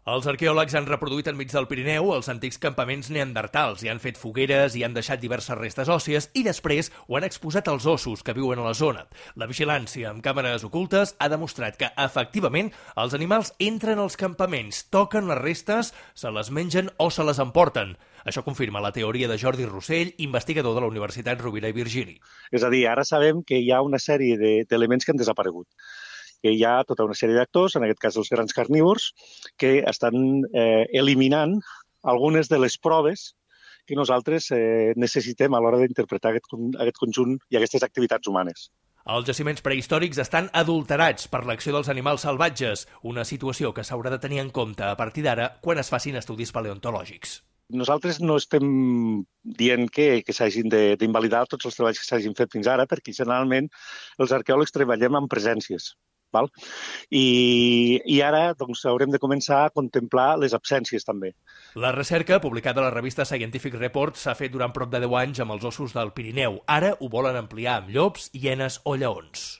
Els arqueòlegs han reproduït enmig del Pirineu els antics campaments neandertals, hi han fet fogueres, hi han deixat diverses restes òssies i després ho han exposat als ossos que viuen a la zona. La vigilància amb càmeres ocultes ha demostrat que, efectivament, els animals entren als campaments, toquen les restes, se les mengen o se les emporten. Això confirma la teoria de Jordi Rossell, investigador de la Universitat Rovira i Virgili. És a dir, ara sabem que hi ha una sèrie d'elements que han desaparegut. Que hi ha tota una sèrie d'actors, en aquest cas els grans carnívors, que estan eliminant algunes de les proves que nosaltres necessitem a l'hora d'interpretar aquest conjunt i aquestes activitats humanes. Els jaciments prehistòrics estan adulterats per l'acció dels animals salvatges, una situació que s'haurà de tenir en compte a partir d'ara quan es facin estudis paleontològics. Nosaltres no estem dient que s'hagin d'invalidar tots els treballs que s'hagin fet fins ara, perquè generalment els arqueòlegs treballem amb presències. Val? I ara doncs, haurem de començar a contemplar les absències també. La recerca, publicada a la revista Scientific Report, s'ha fet durant prop de 10 anys amb els ossos del Pirineu. Ara ho volen ampliar amb llops, hienes o lleons.